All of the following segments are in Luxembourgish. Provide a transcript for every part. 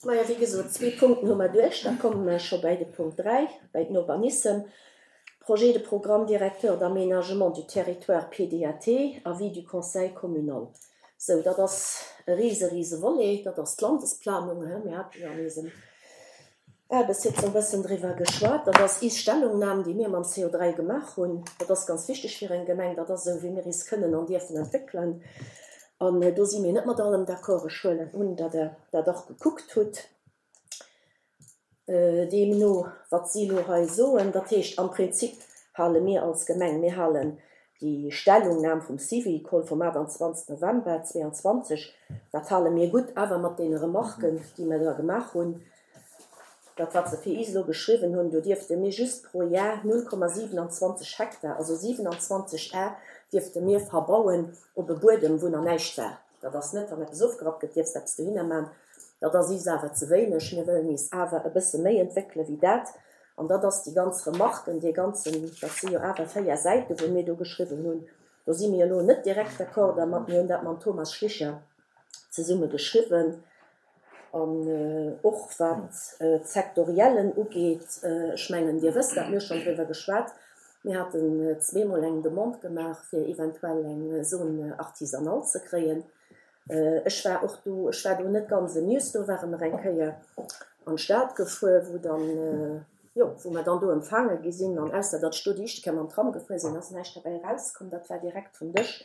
Majo, wéi gesot, zwee Punkten hu mer duerch. Da komme mer scho bäi de Punkt 3, bäi den Urbanissem. Projet de programme directeur d'aménagement du territoire, PDAT, avis du Conseil communal. Sou, dat ass e rise, rise Volet, dat ass d'Landesplanung. Mir hate jo an eisem Aarbechtssitzung e bëssen driwwer geschwat. Dat ass is Stellungnam, déi mir mam CO3 gemaach hunn. Dat ass ganz wichteg fir eng Gemeng. Dat ass esou, wéi mir is kënnen an dierfen entwéckelen. An do si mir net mat allem d'accord. Ech huelen un, datt Der dat och gekuckt hutt. Deemno, wat si elo hei soen, dat heescht, am Prinzip hale mir als Gemeng, mir halen Déi Stellungnam vum Syvicol vum 28 November 22, dat hale mir gutt, awer mat deene Remarken, déi mir da gemaach hunn. Dat, wat se fir is elo geschriwwen hunn, do dierfte mir just pro Jar 0,27 Hektar, also 27 Ar, dierfte mir verbauen op e Buedem, wou nach näischt war. Dat ass net, wann eppes ofgerappt gëtt, dierfs eppes dohinner man. Dat ass is awer ze wéineg. Mir wëllen is awer e bësse méi entwéckele wéi dat. An dat ass déi ganz Remarken, dee ganzen, dat si jo awer 4 Säiten, wou mir do geschriwwen hunn. Do si mir elo net direkt d'accord dermat. Mir hunn dat mam Thomas Schlicher zesumme geschriwwen. An och wat d'Sektoriellen ugeet, ech mengen, Dir wësst dat, mir hu schonn driwwer geschwat, mir haten zweemol eng Demande gemaach, fir eventuell eng Zone artisanale ze kréien. Ech war och do, ech war do net ganz amused, do ware mer eng Kéier an d'Stad gefuer, wou dann, jo, wou mer dann do empfaange gi sinn. An ausser datt ech do déi éischte Kéier mam Tram gefuer sinn, ass näischt derbäi erauskomm. Dat war direkt vum Dësch.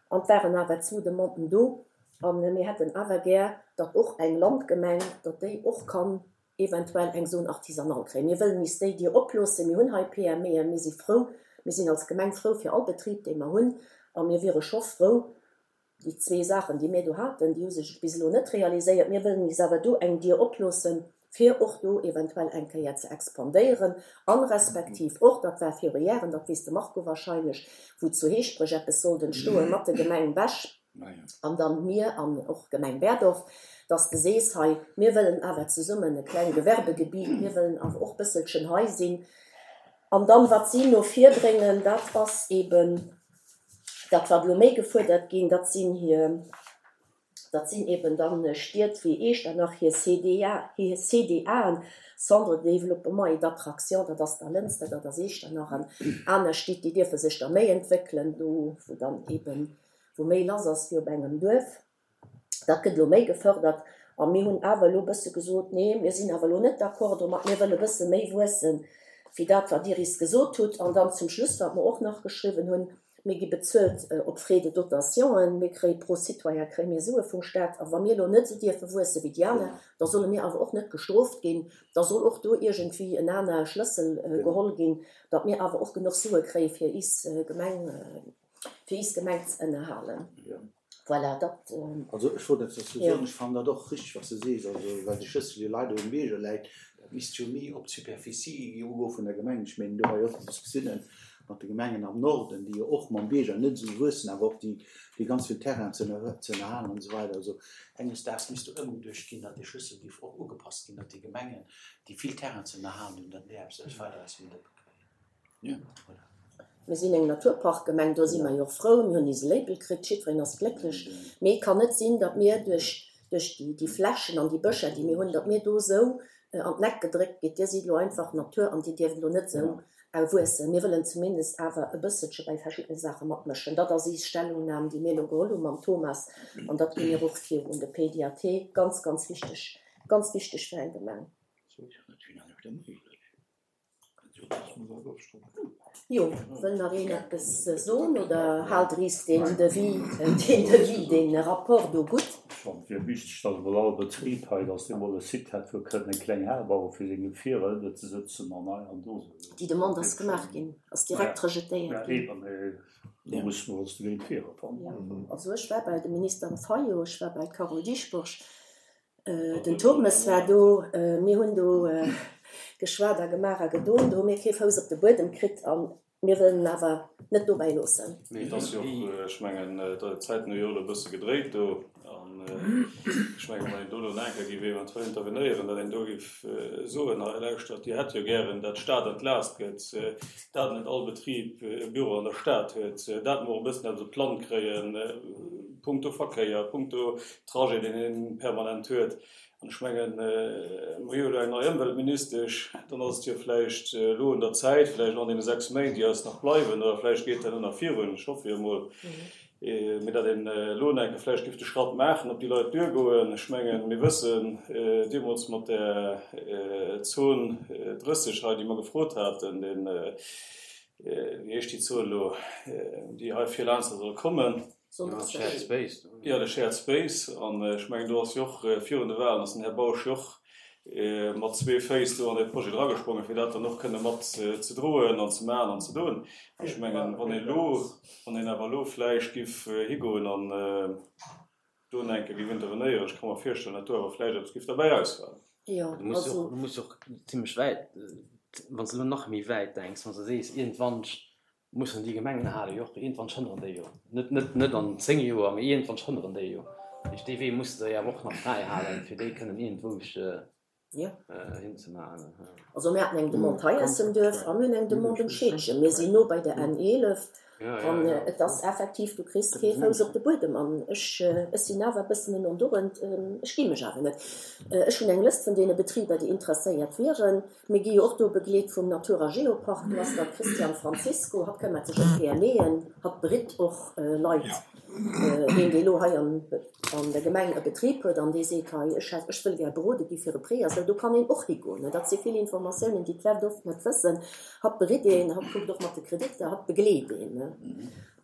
An et waren awer zwou Demanden do. A mir hätten awer gär, datt och eng Landgemeng, datt déi och kann eventuell eng Zone artisanale kréien. Mir wëllen is déi Dier oploossen. Mir hunn hei PMEen. Mir si frou, mir sinn als Gemeng frou fir all Betrib, dee mer hunn. A mir wiere scho frou, déi zwee Saachen, déi mir do haten, déi hu sech bis elo net realiséiert. Mir wëllen is awer do eng Dier oploossen, fir och do eventuell eng Kéier ze expandéieren an respektiv och, dat war viru Jaren, dat weess de Marco wahrscheinlech, wou zu Heeschbreg eppes sollt entstoen mat der Gemeng Bech, an dann mir an och d'Gemeng Berdorf, dass de sees, hei, mir wëllen awer zesummen e kleng Gewerbegebiet, mir wëllen awer och bësselchen hei sinn. An dann, wat si no vir bréngen, dat ass eben dat, wat elo méi gefuerdert ginn, dat sinn hir, dat sinn eben dann Stied wéi Echternach, hir CDA, hir CDAen, Centre de développement et d'attraction, dat ass da Lënster, dat ass Echternach an aner Stied, déi dierfe sech da méi entwéckelen, do wou dann eben wou méi lass ass wéi op engem Duerf. Dat gëtt elo méi gefërdert. A mir hunn awer elo e bësse gesot, nee, mir sinn awer elo net d'accord domat, mir wëlle e bësse méi wuesse wéi dat, wat Dir is gesot hutt. An dann zum Schluss, wat mer och nach geschriwwen hunn, Mir gi bezuelt op Frais de dotationen, mir kréie pro Citoyen kréie mir Sue vum Stat. A wa mir elo net esou dierfe wuesse wéi déi aner, da solle mir awer och net gestrooft ginn, da soll och do iergendwéi en aner Schlëssel geholl ginn, datt mir awer och genuch Sue kréie fir is Gemeng fir is Gemeng ze ënnerhalen. Voilà, dat. Also ech wollt eppes dozou soen. Ech fannen dat och richteg, wat s de sees. Also well de Schlëssel jo leider um Bierger läit, dat misst jo méi op d'Superficie ugoe vun der Gemeng. Ech mengen, do war jo och Diskussiounen mat de Gemengen am Norden, déi jo och mam Bierger net esou wuessen, awer och déi, déi ganz vill Terrain ze ënnerhalen an esou weider. Also enges Daags misst do ëmgeduecht ginn, datt dee Schlëssel géif och ugepasst ginn, datt déi Gemengen, déi vill Terrain ze ënnerhalen hunn, datt déi eppes weider aus dem Dëppe kréien. Mir sinn eng Naturparkgemeng, do si mer jo och frou. Mir hunn eise Label kritt, jiddwereen ass glécklech. Mee et kann net sinn, datt mir duerch, duerch déi, déi Flächen an déi Bëscher, déi mir hunn, datt mir do esou an d'Neck gedréckt gitt, Dir sidd elo einfach Natur an Dir dierft elo net esou wuessen. Mir wëllen zumindest awer e bësselche bei verschiddene Saache matmëschen. Dat ass is Stellungnam, déi mir elo geholl hu mam Thomas an dat gi mir och vir un de PDAT. Ganz, ganz wichteg, ganz wichteg fir eng Gemeng. Jo, wëll nach een eppes soen oder haalt Der is deen Devis, deen Devis, deen Rapport do gutt? Ech fannen et wier wichteg, dass emol all Betrib hei, dass dee mol e Site hätt, wou e kënnt eng kleng Hal bauen, fir seng Gefierer ënner ze sëtzen an hei an do. Déi Demande ass gemaach ginn, ass direkt rejetéiert ginn. Ja, eben, mee do musse mer ons dogéint wiere fannen. Also ech war bei dem Minister Fayot, ech war bei d'Carole Dieschbourg, Den Turmes war do, mir hunn do geschwat a gemaach a gedon, do hu mir kee Fouss op de Buedem kritt a mir wëllen en awer net dobäi loossen. Mee et ass jo och, ech mengen, d'Zäiten hu jo elo e bësse gedréit do an ech mengen, wann een do elo nach eng Kéier géif eventuell intervenéieren, datt een do géif soen, hei lauschtert, Dir hätt jo gären, datt d'Stad entlaast gëtt, dat net all Betrib e Büro an der Stad huet, dat mer och e bëssen eppes op d'Land kréien, punkto Verkéier, punkto Trajet, deen een permanent huet. An ech mengen, mer hu jo elo eng nei Ëmweltministesch, dann ass et jo vläicht elo un der Zäit, vläicht elo an deene 6 Méint, déi eis nach bleiwen, oder vläicht geet dat elo nach virun, ech hoffe jo emol, mee datt een elo nach eng Kéier vläicht géif de Schratt maachen, op déi Leit duergoen. Ech mengen, mir wëssen deemools mat där Zon 30 hei, déi mer gefrot haten, deen, wéi heescht déi Zon elo, déi hei vir laanscht soll kommen, Shared Space. Jo, de Shared Space. An ech mengen, do ass jo och virun de Wahlen ass den Här Bausch jo och mat zwee Féiss do an dee Projet dragesprongen, fir dat dann och kënne mat ze droen an ze maachen an ze doen. Ech mengen, wann een elo, wann een awer elo vläicht giff higoen an do eng Kéier giff intervenéieren, ech ka mer virstellen, datt do awer vläicht eppes giff derbäi erausfalen. Jo, Du muss jo, du muss jo och zimlech wäit, wann s de elo nach méi wäit denks, wann s de sees, iergendwann Mussen déi Gemengen hale jo och, iergendwann schënneren déi jo, net, net, net an 10 Joer, mee iergendwann schënneren déi jo. Dat heescht, dee Wee muss de jo awer och nach fräi halen, fir déi kënnen iergendwousch hinzemaachen. Also mir haten eng Demande hei aus dem Duerf a mir hunn eng Demande um Scheedgen. Mir sinn no bei der N 11 an et ass effektiv, du kriss kee Fouss op de Buedem. An ech, ech sinn awer e bëssen en Ondurend, ech gi mech awer net. Ech hunn eng Lëscht vun deene Betriber, déi interesséiert wieren. Mir gi jo och do begleet vum Natur a Geopark. Do ass dann d'Christiane Francisco, hatt këmmert sech ëm d'PMEen, hatt beritt och Leit. Een, dee lo hei an der Gemeng e Betrib huet an dee seet, hei ech hätt, ech wëll gär berode gi fir e Prêt a sou, do kann een och higoen. Dat si vill Informatiounen, déi d'Leit oft net wëssen. Hatt beritt een, hatt kuckt och mat de Kreditter, hatt begleet een.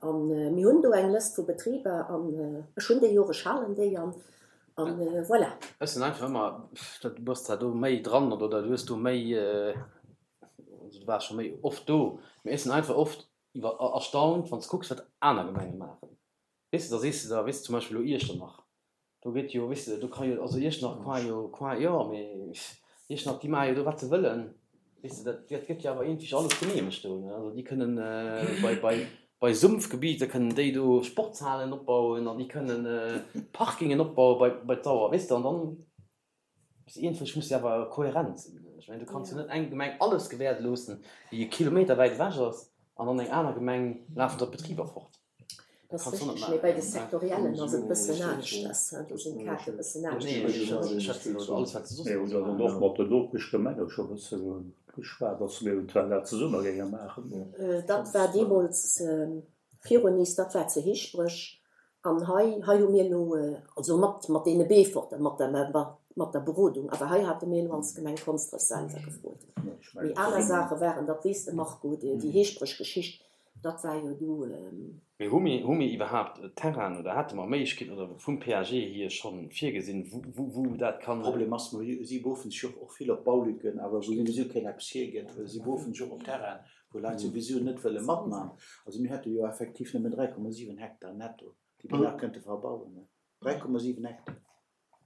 A mir hunn do eng Lëscht vu Betriber an ech hunn déi jo och, ech halen déi an An voilà. Ech sinn einfach ëmmer, du bass zwar do méi dran oder du hues do méi, also du waars scho méi oft do, mee ech sinn einfach oft iwwer erstaunt, wann s de kucks, wat aner Gemenge maachen. Weess de, da sees de der, weess de, zum Beispill elo Iechternach, do gëtt jo, weess de, do ka jo, also Iechternach qua jo, qua jo, mee Iechternach, déi maache jo do wat se wëllen. Weess de, dat, dat gëtt jo awer iergendwéi alles geneemegt do, ne? Also déi kënnen bei, bei, bei Sumpfgebiete kënnen déi do Sportshalen opbauen an déi kënnen Parkingen opbaue bei, bei d'Sauer, weess de, an dann, weess de, iergendwéi muss jo awer kohärent sinn. Ech mengen, du kanns jo net eng Gemeng alles gewäerde loossen, déi e Kilometer wäit ewech ass, an an eng aner Gemeng lafen der d'Betriber fort. Dat ass richteg, mee bei de Sektoriellen ass et e bëssen aneschters, do sinn d'Kaarte e bëssen aneschters. Mir hunn dann och mat den Nopeschgemenge scho e bësse geschwat, dass mir eventuell dat zesumme géinge maachen. Dat war deemools virun Nice, dat war zu Heeschbreg. An hei, hei hu mir elo, also mat, mat deene Beeforter, mat der, mat der Berodung, awer hei hate mir elo als Gemeng Konsdref selwer gefrot. Mee aner Saache waren, dat weess de Marco, déi Heeschbreg-Geschicht, Dat war jo du. Mee hu mir, hu mir iwwerhaapt Terrainen oder hate mer Méiglechkeeten oder vum PAG hier scho virgesinn, wou, wou dat kann. Problem ass, mer si beruffen sech och och vill op Baulücken, awer wou souwisou keen eppes hiergëtt. Si beruffen sech och op Terrainen, wou Leit souwisou net wëlle matman. Also mir hätte jo effektiv nëmmen 3,7 Hektar netto, déi mir nach kënnte verbauen. 3,7 Hektar.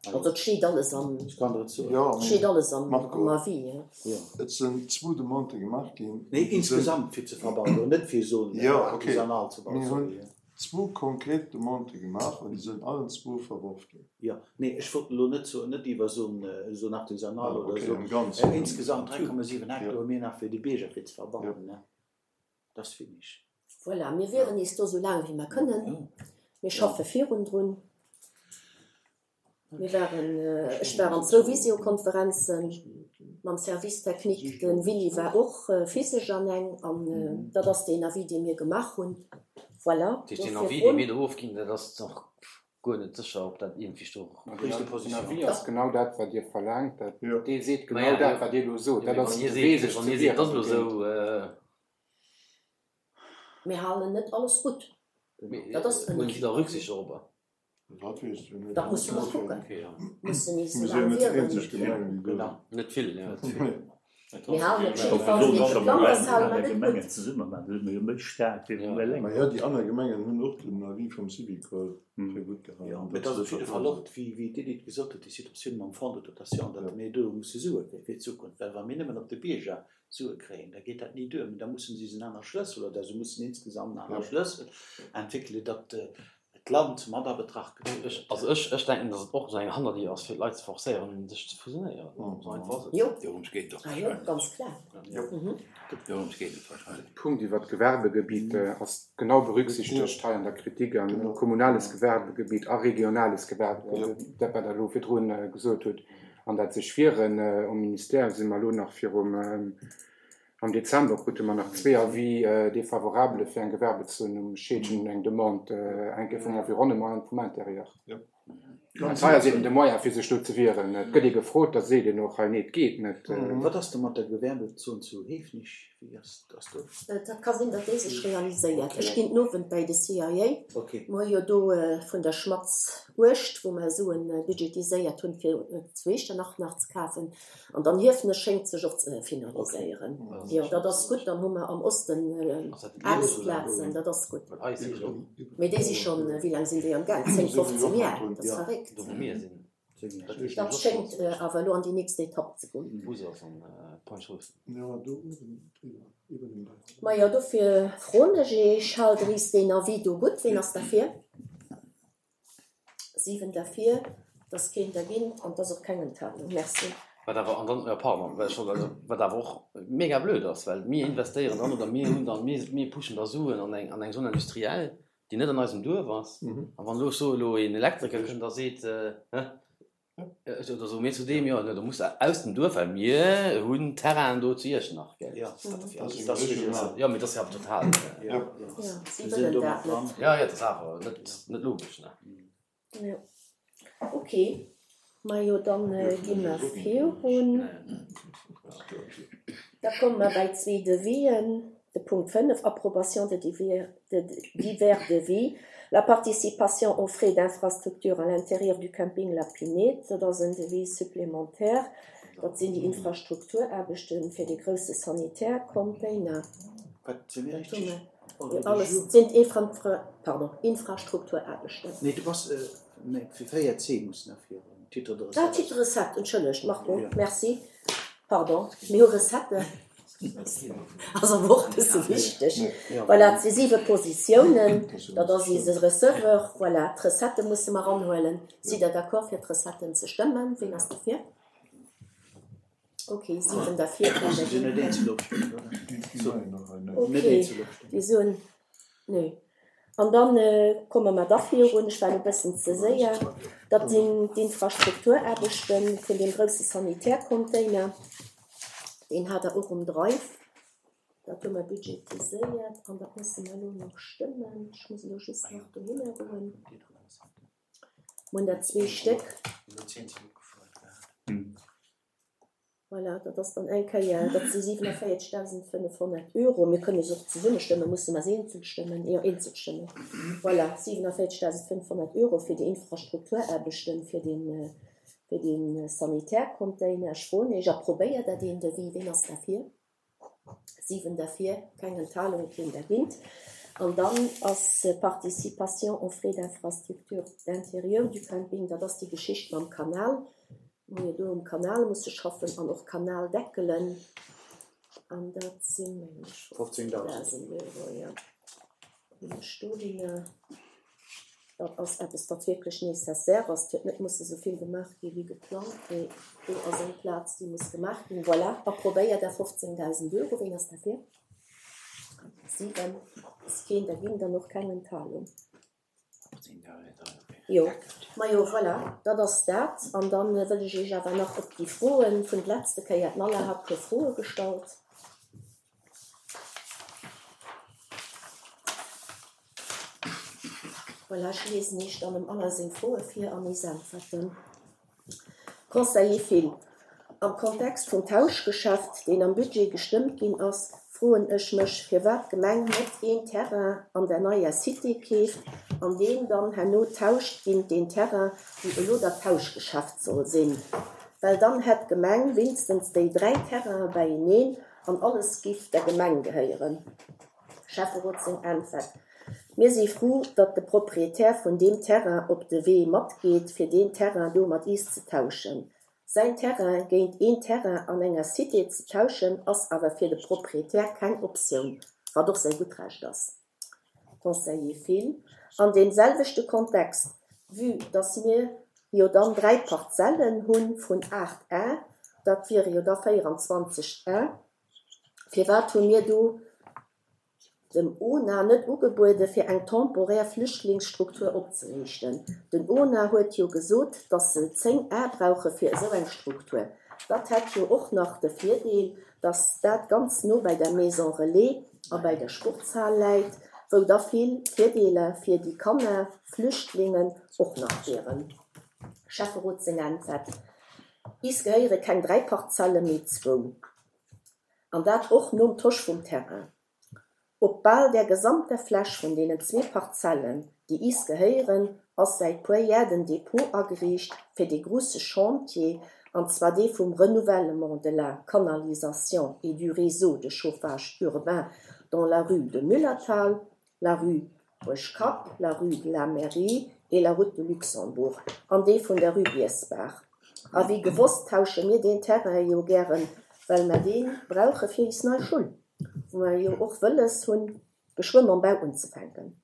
Also et steet alles am, et steet alles am Avis. Et sinn zwou Demandë gemaach ginn. Nee, insgesamt fir ze verbauen, net fir esou artisanal ze bauen. Mir hunn zwou konkret Demandë gemaach an déi sinn allen zwou verworf ginn. Jo, nee, ech wollt elo net soen, net iwwer esou en artisanal oder esou. Insgesamt 3,7 Hektar hu mir nach fir de Bierger fir ze verbauen. Dat ass wenig. Voilà, mir wieren nees do esou laang wéi mer kënnen. Mir schaffe virun drun. Mir waren, ech war an zwou Visiokonferenze mam Service technique, de Willy war och physesch an eng. An dat ass deen Avis, dee mir gemaach hunn. Voilà, Dat heescht, deen Avis, dee mir do ofginn, dat ass nach guer net sécher, ob dat iergendwéi do. Den Avis ass genau dat, wat Dir verlaangt. Dat, dee seet genau dat, wat Dir elo sot. Dat ass de Wee, sech ze wieren. Mir halen net alles gutt. Dat ass en. Huelen si da Rücksicht dorobber? Dat weess ech net. Dat musse mer kucken. Mussen nees esou laang wieren. Net vill, jo. Mir halen op jidde Fall dee geplant ass, hale mer net gutt. Zesumme maachen, da si mer jo méi staark wéi wa mir eleng. Majo, déi aner Gemengen hunn och den Avis vum Syvicol fir gutt gehalen. Jo, mee et ass op jidde Fall och, wéi d'Edith gesot huet, déi Situatioun mam Fonds de dotation, datt mir do musse Sue kréien fir d'Zukunft, well wa mir nëmmen op de Bierger Sue kréien, da geet dat ni duer, mee da mussen si en aner Schlëssel oder se mussen insgesamt en aner Schlëssel entwéckelen, datt d'Land mat a Betracht gezu gëtt. Also ech, ech denken, datt et och esou eng Hannerdier ass, fir d'Leit ze forcéieren, sech ze fusionéieren. Esou einfach ass et. Jo, Dorëms geet et och ah jo, wahrscheinlech. ganz klar. Dorëms geet et wahrscheinlech. De Punkt iwwert d'Gewerbegebitt ass genau berücksichtegt hei an der Kritik, an kommunales Gewerbegebitt a regionales Gewerbegebitt, dat wat Der elo virdrun gesot hutt. An dat sech wieren, um Ministère si mer elo nach virum, am Dezember krute mer nach zwee Avis défavorable fir eng Gewerbezon um Scheedgen, eng Demande, eng Kéier vum Environnement an vum Intérieur. Ganz hei ass eben de Moyen fir sech do ze wieren. Et gëtt ee gefrot, da seet een och hei, nee, et geet net. Wat ass da mat der Gewerbezon zu Hiefenech? Wéi ass do? Dat ka sinn, datt déi sech realiséiert. Ech ginn den Owend bäi de CIA. Mer hu jo do vun der Schmatz Uecht, wou mer Suen budgetiséiert hunn, fir zu Echternach nach ze kafen. An dann Hiefenech schéngt sech och ze finaliséieren. Jo, dat ass gutt. Dann hu mer am Osten Aarbechtsplazen, dat ass gutt. Mee déi si schonn, wéi laang sinn déi am Gaang? 10, 15 Jar? Dat ass verréckt. Dat schéngt awer elo an déi nächst Etapp ze goen. Majo, dofir froen ech Iech, Haalt Der is deen Avis do gutt? Ween ass derfir? 7 derfir, et ass keen dergéint an et ass och keng Enthalung. Merci. Wat awer, an dann, pardon, well ech wollt, also wat awer och mega blöd ass, well mir investéieren dann oder mir hunn dann, mir, mir pushen da Suen an eng, an eng Zone industrielle, déi net an eisem Duerf ass. A wann elo, ech soe elo, een Elektriker kënnt a seet, hä, Oder soe mir zu deem, jo, da muss de aus dem Duerf, well mir hunn Terrainen do zu Iechternach, gell? Jo, mee dat ass jo awer total. Jo, si wëllen dat net. Jo, jo, dat ass awer net, net logesch, ne? Jo, ok. Majo, dann gi mer virun. Da komme mer bäi zwee Devis'en. De Punkt 5, Approbation de divers devis, la participation aux frais d'infrastructure à l'intérieur du camping La Pinède, dat ass en Devis supplémentaire, dat sinn déi Infrastrukturaarbechte fir dee grousse Sanitärcontainer. Wat sinn déi richteg? Alles sinn pardon, Infrastrukturaarbechten. Nee, du bass, nee, fir 4c muss nach virun, Titre de recette. Ah, Titre de recette, entschëllegt, Marco, merci. Pardon, mir hu Recetten. Ass awer och e bësse wichteg. Voilà, et si siwe Positiounen. Dat ass eise Receveur. Voilà, d'Recettë musse mer eranhuelen. Sidd Der d'accord, fir d'Recetten ze stëmmen? Ween ass derfir? Okay, siwen derfir, keen dergéint. Okay, déi soen Nee. An da komme mer da virun, ech war elo e bëssen ze séier, dat sinn d'Infrastrukturaarbechte vun deem grousse Sanitärcontainer, deen hat Der och um Drive, dat hu mer budgetiséiert an dat musse mer elo nach stëmmen. Ech muss elo just nach dohinner goen. Mer hunn der zwee Stéck. Voilà, dat ass dann eng Kéier, dat si 47.500 Euro. Mir kënne se och zesumme stëmmen, musse mer se eenzel stëmmen? Jo, eenzel stëmmen. Voilà, 47.500 Euro fir déi Infrastrukturaarbechten, fir dee, fir dee Sanitärcontainer. Ech froen Iech, approbéiert Der deen Devis? Ween ass derfir? 7 derfir, keng Enthalung, keen dergéint. An dann ass Participation aux frais d'infrastructure d'intérieur du camping, dat ass déi Geschicht mam Kanal, wou mir do um Kanal musse schaffen an och Kanaldeckelen. An dat sinn, mengen ech, 15.000 Euro, jo. Hunn ech dohinner. Dat ass eppes, wat wierklech nécessaire ass. Et huet net musse sou vill gemaach gi wéi geplangt, mee do ass eng Plaz, déi muss gemaach ginn. Voilà, approbéiert à 15.000 Euro. Ween ass derfir? 7, ass keen derginn, dann och keng Enthalung. Jo, majo, voilà, dat ass dat. An da wëll ech Iech awer nach op déi Froen vun d'letzte Kéier, d'Nalla hat e puer Froe gestallt. Voilà, ech liesen Iech dann dem Alain seng Froe vir an is Äntwerten. Conseiller Thill, Am Kontext vum Tauschgeschäft, deen am Budget gestëmmt ginn ass, froen ech mech, firwat d'Gemeng net een Terrain an der neier Cité keeft an deen dann herno tauscht géint deen Terrain, wou elo dat Tauschgeschäft soll sinn. Well dann hätt d'Gemeng winstens déi 3 Terrainen beieneen an alles giff der Gemeng gehéieren. Schäfferot seng Äntwert, Mir si frou, datt de Proprietär vun deem Terrain op de Wee matgeet, fir deen Terrain do mat iis ze tauschen. Säin Terrain géint een Terrain an enger Cité ze tauschen, ass awer fir de Proprietär keng Optioun, wat och säi gutt Recht ass. Conseiller Thill, An deem selwechte Kontext, vue dass mir jo dann 3 Parzellen hu vun 8 Ar, dat wiere jo da 24 Ar, firwat hu mir do. Dem ona net ugebuede fir eng temporär Flüchtlingsstruktur opzeriichten. Den ona huet jo gesot, datt se 10 Ar brauche fir esou eng Struktur. Dat hätt jo och nach de Virdeel, datt dat ganz no bei der Maison Relais a bei der Sportshal läit, wou da vill Virdeeler fir déi Kanner, Flüchtlingen, och nach wieren. Schäfferot seng Äntwert, Is gehéiere keng 3 Parzelle mee zwou. An dat och nom Tosch vum Terrain. Op bal der gesamter Fläch vun deenen zwee Parzellen, déi is gehéieren, ass säit puer Jär den Depot ageriicht fir dee gruusse Chantier, an zwar dee vum Renouvellement de la canalisation et du réseau de chauffage urbain dans la rue de Müllerthal, la rue Buergkapp, la rue de la Mairie et la route de Luxembourg an dee vun der rue Diesbach. A wéi gewosst tausche mir deen Terrain jo gären, well mer dee brauche fir is nei Schull, wou mer jo och wëlles hunn, geschwë mam Bau unzefänken.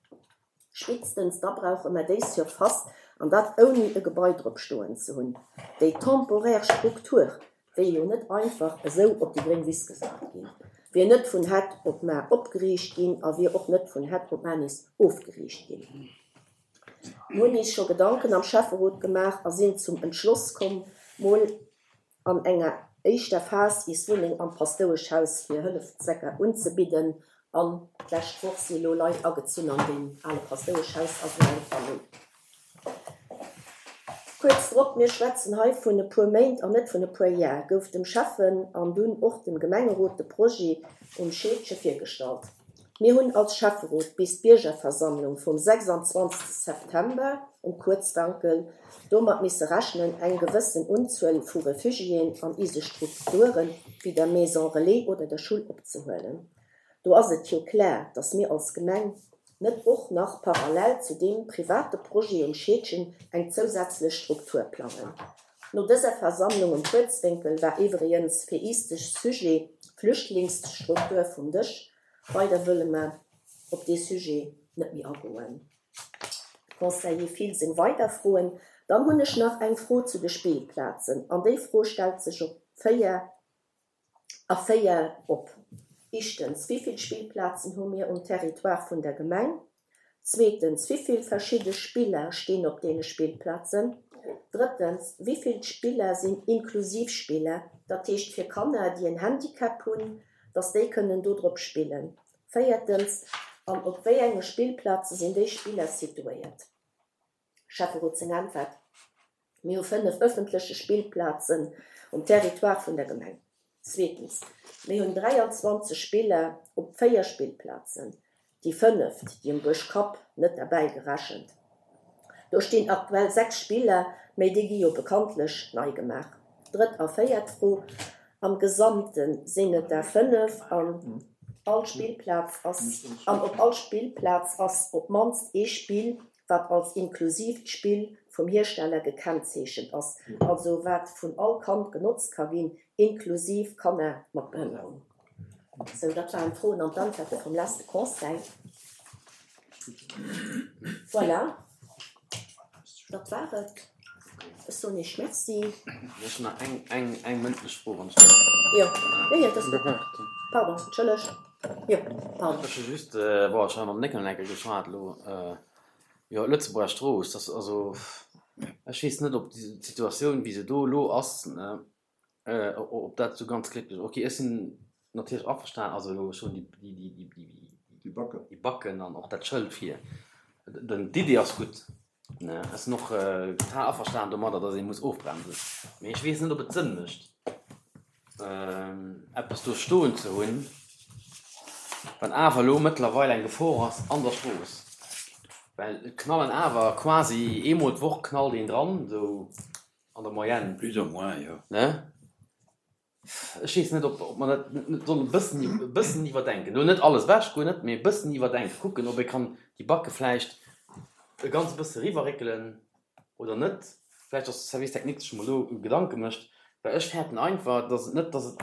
Spéitstens da brauche mer déi Surface, an dat ouni e Gebai drop stoen ze hunn. Déi temporaire Struktur wier jo net einfach esou op déi gréng Wiss gesat ginn, wier net vun hett op mar opgeriicht ginn a wier och net vun hett op mar nees ofgeriicht ginn. Mir hunn iis scho Gedanken am Schäfferot gemaach a sinn zum Entschloss komm, mol an enger éischter Phas iis Wunneng am Paschtoueschhaus fir Hëllefzwecker unzebidden an d'lescht Woch si elo Leit agezunn an deem ale Paschtoueschhaus ass elo eng Famill. Kuerz drop, mir schwätzen hei vun e puer Méint an net vun e puer Jar, gouf dem Schäffen an dunn och dem Gemengerot de Projet um Scheedge virgestallt. Mir hunn als Schäfferot bis d'Biergerversammlung vum 26 September um Kuerzwankel domat misse rechnen, eng gewëssen Unzuel vu Refugiéen an ise Strukture wéi der Maison Relais oder der Schull opzehuelen. Do ass et jo klar, dass mir als Gemeng net och nach parallel zu deem private Projet um Scheedgen eng zousätzlech Struktur plangen. No dëser Versammlung um Kuerzwénkel war iwwregens fir iis de Sujet Flüchtlingsstruktur vum Dësch. Weider wëlle mer op dee Sujet net méi agoen. Conseiller Thill seng weider Froen. Dann hunn ech nach eng Fro zu de Spillplazen an déi Fro stellt sech op 4 A 4 op. Ischtens, Wivill Spillplazen hu mir um Territoire vun der Gemeng? Zweetens, Wivill verschidde Spiller stinn op deene Spillplazen? Drëttens, Wivill Spiller sinn inklusiv Spiller, dat heescht fir Kanner, déi en Handicap hunn, dass déi kënnen do drop spillen? Véiertens, An op wéi enge Spillplaze sinn déi Spiller situéiert? Schäfferot seng Äntwert, Mir hu 5 ëffentleche Spillplazen um Territoire vun der Gemeng. Zweetens, mir hunn 23 Spiller op 4 Spillplazen, déi fënneft, déi um Buergkapp, net derbäi gerechent. Do stinn aktuell 6 Spiller, mä déi gi jo bekanntlech nei gemaach. Drëtt a véiert Fro, Am Gesamte sinn et der 5 an all Spillplaz ass an op all Spillplaz ass op d'mannst ee Spill wat als inklusiivt Spill vum Hiersteller gekennzeechent ass, also wat vun all Kand genotzt ka ginn, inklusiv Kanner mat Behënnerung. Sou, dat waren d'Froen an d'Antwerte vum leschte Conseil. Voilà, dat war et. Ech soen Iech Merci. Ech hunn nach eng, eng, eng mëndlech Fro, wann ech däerf. Jo, jo, jo, dat ass gutt. Pardon, entschëllegt. Jo, pardon. Ech hu just, bon, ech hu mam Néckel eng Kéier geschwat elo, jo, Lëtzebuerger Strooss, dass also, ech weess net, ob déi Situatioun, wéi se do elo ass, ob dat esou ganz glécklech ass. Okay, ech sinn natierlech averstan, also elo, ech hunn déi, déi, déi, déi, Déi Backen. Déi Backen an och dat Schëld vir. Den, d'Iddi ass gutt. Ech sinn och total averstan domadder, dass ee muss ofbremsen. Mee ech weess net, ob et Sënn mécht, eppes do stoen ze hunn, wat awer elo mëttlerweil eng Gefor ass an der Strooss. Well et knallen awer quasi eemol d'Woch knallt een dran, esou an der Moyenne. Plus ou moins, jo. Ne? Ech weess net, ob mer dat net sollen e bëssen, e bëssen iwwerdenken. Elo net alles ewech, guer net, mee e bëssen iwwerdenken, kucken, ob ee kann déi Backe vläicht e ganz bësse eriwwerréckelen oder net. Vläicht, dass de Service technique sech emol do Gedanke mécht, well ech fäerten einfach, dass et net, dass et,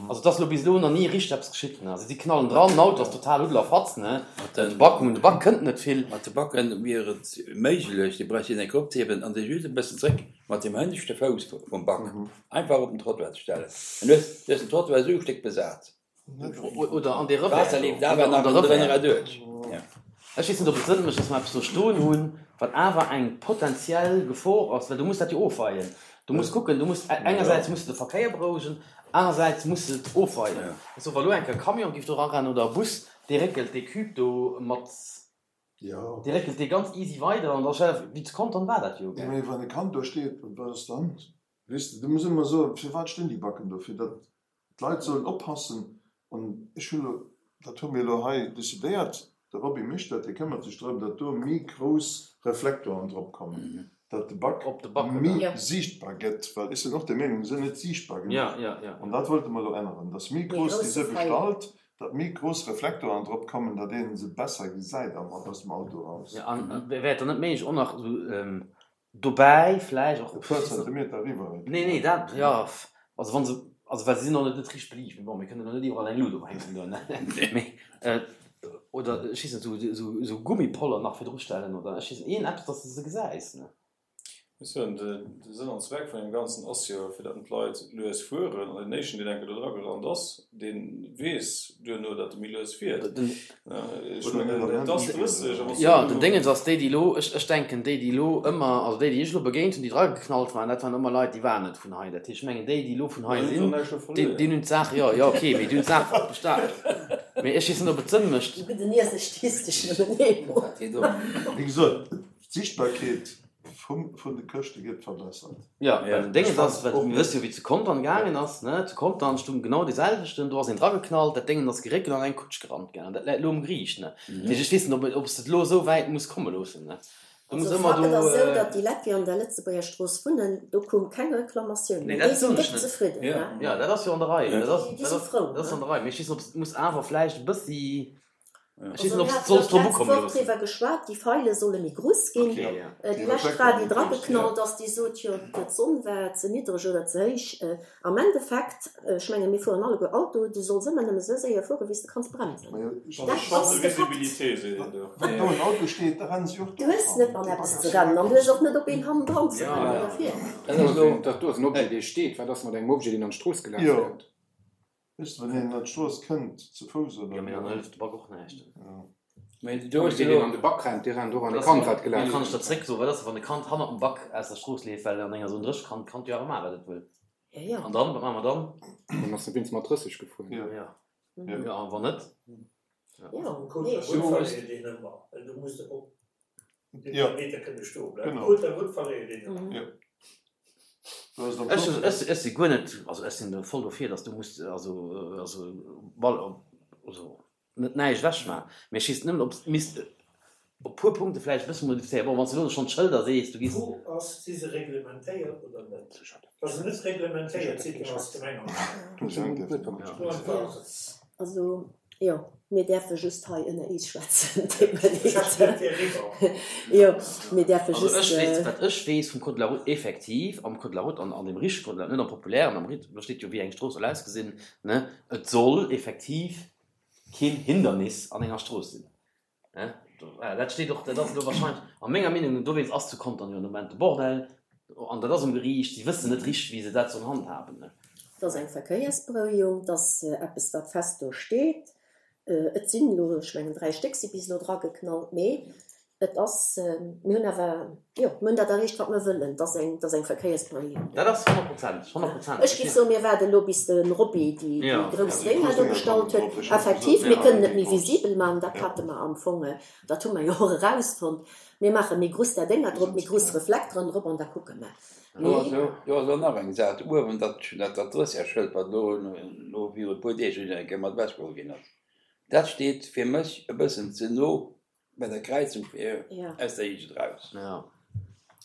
also et ass elo bis elo nach ni richteg eppes geschitt, ne. Also si knallen dran, den Auto ass total Huddel a Fatz, ne. De Back, un de Back kënnt net vill. Mat de Backen wier et méiglech, déi bräicht een eng Kéier opzehiewen an se just e bëssen zréck mat dem hënneschte Fouss vum Back einfach op den Trottoir ze stellen. Dann hues du den Trottoir esou e Stéck besat. Oder an dee Revers D'Waasser leeft awer nach ënner drënner erduerch. Ech weess net, ob et Sënn mécht, dass mer eppes do stoen hunn, wat awer eng potenziell Gefor ass, well du muss dat jo ofweien. Du muss kucken, du muss engersäits muss de de Verkéier berouegen, anersäits muss de et ofweien. Also wa lo eng Kéier e Camion géif do erarennen oder e Bus, dee réckelt dee Cube do mat, dee réckelt dee ganz easy weider an da stell der, wéi zu Contern war dat jo, gell? Mee wann e Kand do steet, wat ass dann? Weess de, du muss ëmmer soen, firwat stinn déi Backen do? Fir datt D'Leit sollen oppassen an ech hu lo, dat hu mir elo hei decidéiert, de Roby mécht dat, dee këmmert sech drëm, datt do méi grouss Reflektoren drop kommen, datt de Back méi siichtbar gëtt, well ech sinn och der Meenung, se sinn net siichtbar genuch an dat wollte mer elo änneren, datt méi grouss déi se bestallt, datt méi grouss Reflektoren drop kommen, datt ee se besser gesäit aus dem Auto eraus. Jo, an wär et dann net méiglech och nach esou Dobäi vläicht och. E puer Zentimeter eriwwer. Nee, nee, dat, jo, also wa se, also well se sinn och net richteg beliicht, mee bon, mir kënnen elo net iwwerall eng Lut ophänken do, ne, mee oder ech weess net, esou, esou Gummipoller nach virdru stellen oder ech weess net, iergend eppes, dass de se gesäis, ne. Ech soen, de Sënn an Zweck vun deem Ganzen ass jo, fir datt d'Leit lues fueren. An deen éischten, deen eng Kéier do dra gerannt ass, dee weess duerno, datt e méi lues fiert. Ech mengen, et ass 30 a wann s du Jo, den Déngens ass, déi, déi elo, ech, ech denken, déi, déi elo ëmmer, also déi, déi ech elo begéint hunn, déi drageknallt waren, dat waren ëmmer Leit, déi waren net vun hei. Dat heescht, ech mengen, déi, déi elo vun hei sinn, déi, déi hunn d'Saach, jo, jo, okay, mee déi hunn d'Saach besta-, mee ech weess net, ob et Sënn mécht. Du gedenieers ech statistesch nëmmen eemol. Wéi gesot, d'Sichtbarkeet vun de Këschte gëtt verbessert. Jo, well den Déngens ass, well mir wësse jo wéi et zu Contern gaangen ass, ne, zu Contern stung genau dee selwechten, do ass een drageknallt, dat Déngen ass geréckelt an eng Kutsch gerannt, gell, an dat läit elo um Geriicht, ne. Dat heescht, ech weess net, ob, ob s de et elo esou wäit muss komme loossen, ne. Do muss Also ëmmer Fakt do. ass esou, datt déi Leit, déi an der Lëtzebuerger Strooss wunnen, do koum keng Reklamatioun Nee, méi. Déi dat sinn soen ech déck net. zefridden, ne. Jo, dat ass jo an der Rei, dat ass, Déi dat si ass, frou, dat ass ne. an der Rei, mee ech weess net, ob s et muss awer vläicht e bëssi. Ech weess Also net, ob mir s hate sollst jo drop d'letzt ukomme Woch loossen. driwwer geschwat, déi Feile solle méi grouss ginn. Okay, ja. Déi lescht Fra, déi drageknallt ass, déi sot jo, d'Sonn war ze niddreg oder ze héich. Am Endeffekt, ech menge mir fueren alleguer Auto, du solls ëmmer nëmme esou séier fueren, wéi s de kanns bremsen. Dat ass de Fakt. Wann do en Auto steet, da rennen si och Du hues net an eppes ze rennen an du hues och net op een hannendran ze rennen oder vir. Dat do ass en Objet, dee steet. Wat ass mat engem Objet, deen an d'Strooss gelaf kënnt? Weess de, wann een an d'Strooss kënnt, ze Fouss oder. Jo, mee dann hëlleft de Back och näischt. Mee do hues Deen, de deen elo. an de Back rennt, dee rennt och an e Kand, wat gelaf Mee kann ech kënnt. der zréck soen, wat ass, wann e Kand hannert dem Back aus der Strooss leeft, well an enger Zone 30 kann d'Kand jo awer maachen, wat et wëll. Jo, jo. An dann, wat maache mer dann? Dann ass e wéinst mat 30 gefuer. Jo. Jo, jo, a wann net? Jo, Code nee, de la route verléiert een ëmmer, well du muss op deem Meter kënne stoe bleiwen. Code de la route verléiert een ëmmer. Jo. Ech, ech, ech si guer net, also ech sinn voll dofir, datt du muss, also, also, bal, also net näischt ewechmaachen, mee ech weess nëmmen, ob s misst op puer Punkte vläicht e bësse modifizéieren. Bon, wann s de elo schonn d'Schëlder sees, du giss. D'Fro ass, Si se reglementéiert oder net? Wa se net reglementéiert sinn, dann ass d'Gemeng am Recht. Also, jo, mir däerfe just hei ënner eis schwätzen, deet mer leed. Jo, mir däerfe Also just. ech weess, wat ech weess vum Code de la route, effektiv am Code de la route, an an deem richtege Code de la route, net am populären, am richt, do steet jo wéi eng Strooss soll ausgesinn, ne, et soll effektiv keen Hindernis an enger Strooss sinn. Dat steet och, dat ass elo wahrscheinlech, a menger Meenung no, dowéinst ass zu Contern jo den Moment de Bordell, an dat ass um Geriicht, si wëssen net richteg, wéi se dat sollen handhaben. Et ass eng Verkéiersberouegung, et ass eppes, wat fest do steet. Et sinn elo, ech mengen 3 Stéck si bis elo drageknallt, mee et ass, mir hunn awer, jo, mir hunn dat erreecht, wat mir wëllen, et ass eng, et ass eng Verkéiersberouegung. Dat ass honnertprozenteg, honnertprozenteg. Ech géif soen, mir waarden elo, bis de Roby déi grouss Dénger do bestallt huet. Effektiv, mir kënnen et méi visibel maachen, dat hate mer am Fong, dat hu mer jo och erausfonnt. Mir maache méi grouss där Dénger drop, méi grouss Reflekteren drop an da kucke mer. Do ass elo, do ass elo nach eng Saach, do uewen, dat, dat Drësserschëld, wat elo, elo viru e puer Deeg eng Kéier mat ewechgeholl ginn ass, dat steet fir mech e bëssen ze no Bei der Kräizung fir aus der Eegent raus. Ja.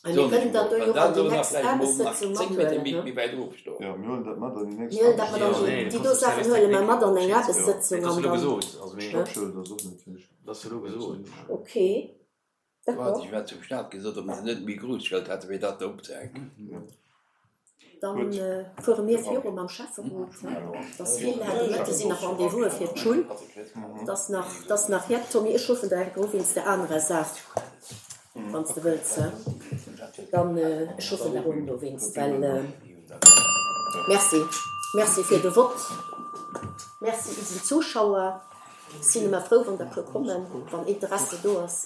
Mir kënnen dat do jo och an déi nächst Aarbechtssëtzung mathuelen, ne? Méi wäit ofstoen. Jo, mir huelen dat mat an déi nächst Mir huelen dat mat an déi, déi do Saachen huele mer mat an eng Aarbechtssëtzung an dann. Stoppschëld ass och net héich. Okay, d'accord. Ech hat zum Staat gesot, ob se net méi grouss Schëld hätte fir dat do opzehänken. Dann fuere mir viru mam Schäfferot. Et ass vill, de Mëtte sinn nach Rendez-vouse fir d'Schull. Et ass nach, et ass nach jett. Tommy, ech ruffen der enk u wéinst der anerer Saach, wann s de wëlls. Dann, ech ruffen der un dowéinst, well. Merci. Merci fir de Vott. Merci isen Zuschauer. Sinn ëmmer frou wann der puer kommen, wann Interesse do ass.